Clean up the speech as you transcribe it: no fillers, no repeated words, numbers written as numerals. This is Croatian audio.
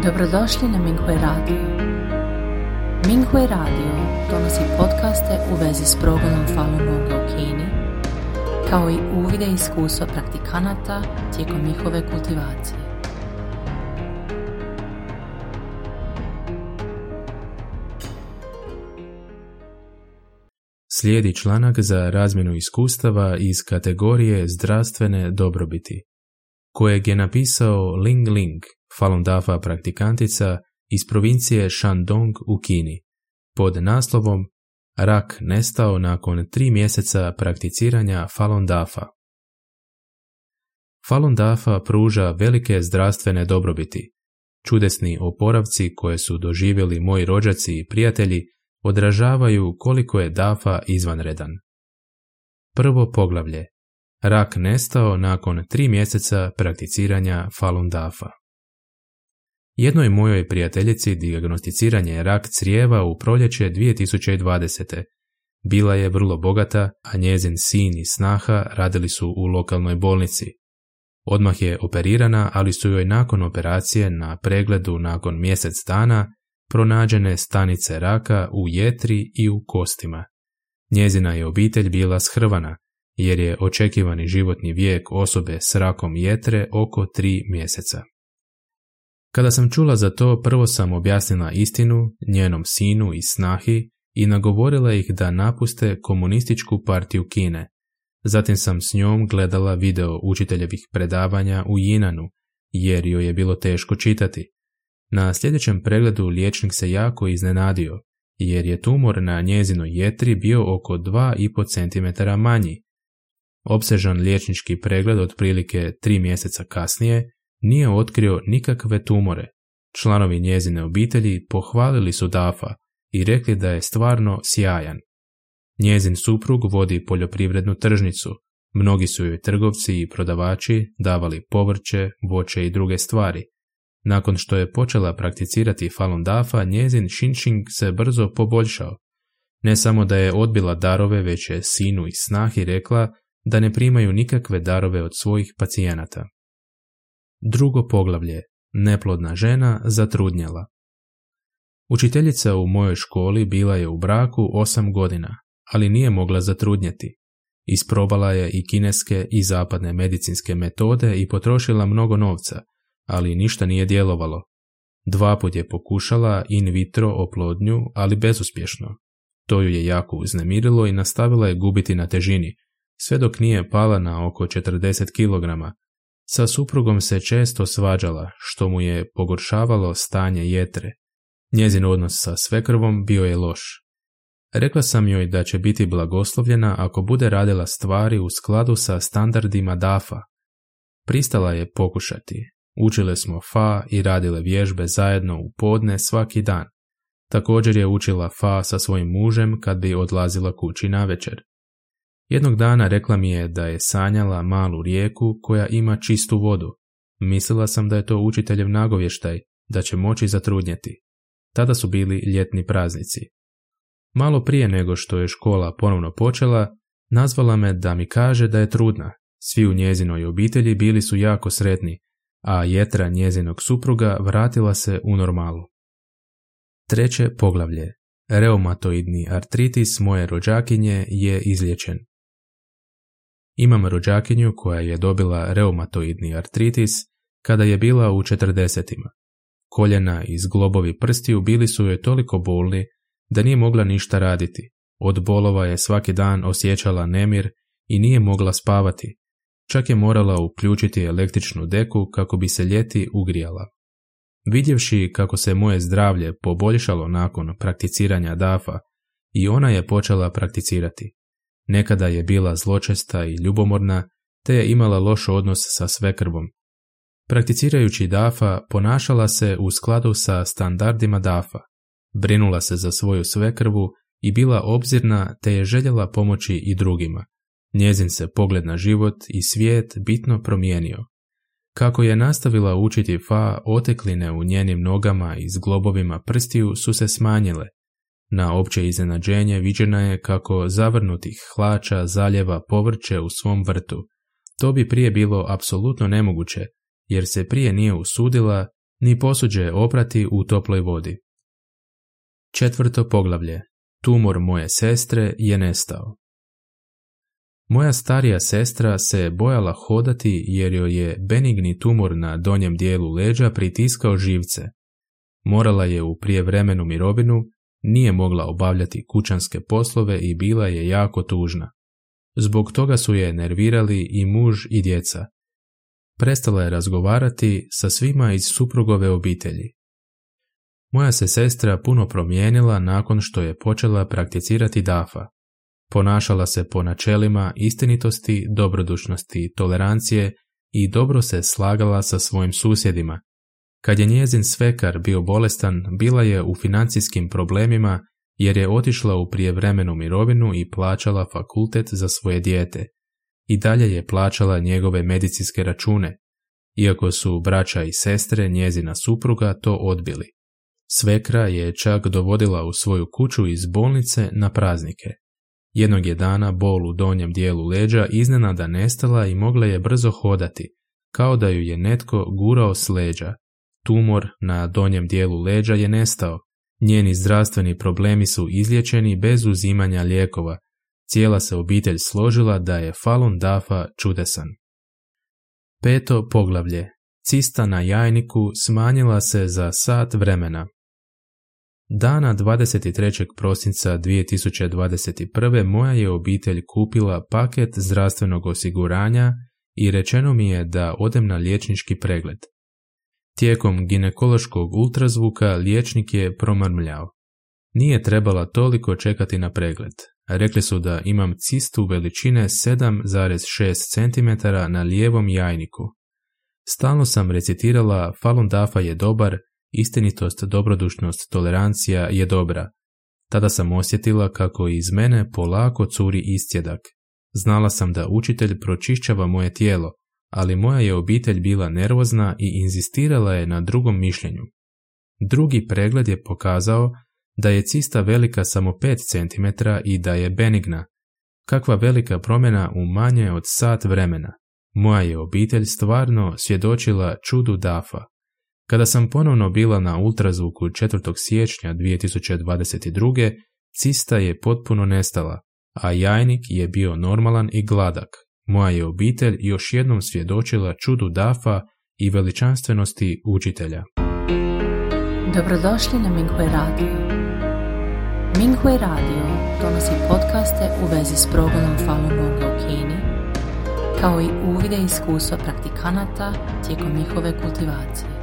Dobrodošli na Minghui Radio. Minghui Radio donosi podcaste u vezi s progledom Falun Gonga u Kini, kao i uvide i iskustva praktikanata tijekom njihove kultivacije. Slijedi članak za razmjenu iskustava iz kategorije zdravstvene dobrobiti, kojeg je napisao Ling Ling, Falun Dafa praktikantica iz provincije Shandong u Kini, pod naslovom Rak nestao nakon 3 mjeseca prakticiranja Falun Dafa. Falun Dafa pruža velike zdravstvene dobrobiti. Čudesni oporavci koje su doživjeli moji rođaci i prijatelji odražavaju koliko je Dafa izvanredan. Prvo poglavlje. Rak nestao nakon 3 mjeseca prakticiranja Falun Dafa. Jednoj mojoj prijateljici dijagnosticiran je rak crijeva u proljeće 2020. Bila je vrlo bogata, a njezin sin i snaha radili su u lokalnoj bolnici. Odmah je operirana, ali su joj nakon operacije na pregledu nakon mjesec dana pronađene stanice raka u jetri i u kostima. Njezina je obitelj bila shrvana, jer je očekivani životni vijek osobe s rakom jetre oko 3 mjeseca. Kada sam čula za to, prvo sam objasnila istinu njenom sinu i snahi i nagovorila ih da napuste komunističku partiju Kine. Zatim sam s njom gledala video učiteljevih predavanja u Jinanu, jer joj je bilo teško čitati. Na sljedećem pregledu liječnik se jako iznenadio, jer je tumor na njezinoj jetri bio oko 2,5 cm manji. Opsežan liječnički pregled otprilike 3 mjeseca kasnije nije otkrio nikakve tumore. Članovi njezine obitelji pohvalili su Dafa i rekli da je stvarno sjajan. Njezin suprug vodi poljoprivrednu tržnicu. Mnogi su joj trgovci i prodavači davali povrće, voće i druge stvari. Nakon što je počela prakticirati Falun Dafa, njezin Shinshing se brzo poboljšao. Ne samo da je odbila darove, već je sinu i snahi rekla da ne primaju nikakve darove od svojih pacijenata. Drugo poglavlje. Neplodna žena zatrudnjela. Učiteljica u mojoj školi bila je u braku 8 godina, ali nije mogla zatrudnjeti. Isprobala je i kineske i zapadne medicinske metode i potrošila mnogo novca, ali ništa nije djelovalo. 2 puta je pokušala in vitro oplodnju, ali bezuspješno. To ju je jako uznemirilo i nastavila je gubiti na težini, sve dok nije pala na oko 40 kg. Sa suprugom se često svađala, što mu je pogoršavalo stanje jetre. Njezin odnos sa svekrvom bio je loš. Rekla sam joj da će biti blagoslovljena ako bude radila stvari u skladu sa standardima Dafa. Pristala je pokušati. Učile smo Fa i radile vježbe zajedno u podne svaki dan. Također je učila Fa sa svojim mužem kad bi odlazila kući navečer. Jednog dana rekla mi je da je sanjala malu rijeku koja ima čistu vodu. Mislila sam da je to učiteljev nagovještaj, da će moći zatrudnjeti. Tada su bili ljetni praznici. Malo prije nego što je škola ponovno počela, nazvala me da mi kaže da je trudna. Svi u njezinoj obitelji bili su jako sretni, a jetra njezinog supruga vratila se u normalu. Treće poglavlje. Reumatoidni artritis moje rođakinje je izliječen. Imam rođakinju koja je dobila reumatoidni artritis kada je bila u 40-ima. Koljena i zglobovi prstiju bili su joj toliko bolni da nije mogla ništa raditi. Od bolova je svaki dan osjećala nemir i nije mogla spavati. Čak je morala uključiti električnu deku kako bi se ljeti ugrijala. Vidjevši kako se moje zdravlje poboljšalo nakon prakticiranja Dafa, i ona je počela prakticirati. Nekada je bila zločesta i ljubomorna, te je imala loš odnos sa svekrvom. Prakticirajući Dafa, ponašala se u skladu sa standardima Dafa. Brinula se za svoju svekrvu i bila obzirna, te je željela pomoći i drugima. Njezin se pogled na život i svijet bitno promijenio. Kako je nastavila učiti Fa, otekline u njenim nogama i zglobovima prstiju su se smanjile. Na opće iznenađenje viđena je kako zavrnutih hlača zaljeva povrće u svom vrtu. To bi prije bilo apsolutno nemoguće, jer se prije nije usudila ni posuđe oprati u toploj vodi. 4. poglavlje. Tumor moje sestre je nestao. Moja starija sestra se bojala hodati jer joj je benigni tumor na donjem dijelu leđa pritiskao živce. Morala je u prijevremenu mirovinu, nije mogla obavljati kućanske poslove i bila je jako tužna. Zbog toga su je nervirali i muž i djeca. Prestala je razgovarati sa svima iz suprugove obitelji. Moja se sestra puno promijenila nakon što je počela prakticirati dafa. Ponašala se po načelima istinitosti, dobrodušnosti, tolerancije i dobro se slagala sa svojim susjedima. Kad je njezin svekar bio bolestan, bila je u financijskim problemima jer je otišla u prijevremenu mirovinu i plaćala fakultet za svoje dijete. I dalje je plaćala njegove medicinske račune, iako su braća i sestre njezina supruga to odbili. Svekra je čak dovodila u svoju kuću iz bolnice na praznike. Jednog je dana bol u donjem dijelu leđa iznenada nestala i mogla je brzo hodati, kao da ju je netko gurao s leđa. Tumor na donjem dijelu leđa je nestao. Njeni zdravstveni problemi su izliječeni bez uzimanja lijekova. Cijela se obitelj složila da je Falun Dafa čudesan. 5. poglavlje. Cista na jajniku smanjila se za sat vremena. Dana 23. prosinca 2021. moja je obitelj kupila paket zdravstvenog osiguranja i rečeno mi je da odem na liječnički pregled. Tijekom ginekološkog ultrazvuka liječnik je promrmljao. Nije trebala toliko čekati na pregled. Rekli su da imam cistu veličine 7,6 cm na lijevom jajniku. Stalno sam recitirala Falun Dafa je dobar, istinitost, dobrodušnost, tolerancija je dobra. Tada sam osjetila kako iz mene polako curi iscjedak. Znala sam da učitelj pročišćava moje tijelo, ali moja je obitelj bila nervozna i inzistirala je na drugom mišljenju. Drugi pregled je pokazao da je cista velika samo 5 cm i da je benigna. Kakva velika promjena u manje od sat vremena. Moja je obitelj stvarno svjedočila čudu Dafa. Kada sam ponovno bila na ultrazvuku 4. siječnja 2022. cista je potpuno nestala, a jajnik je bio normalan i gladak. Moja je obitelj još jednom svjedočila čudu Dafa i veličanstvenosti učitelja. Dobrodošli na Minghui Radio. Minghui Radio donosi podcaste u vezi s progledom Falun Gonga u Kini, kao i uvide iskustva praktikanata tijekom njihove kultivacije.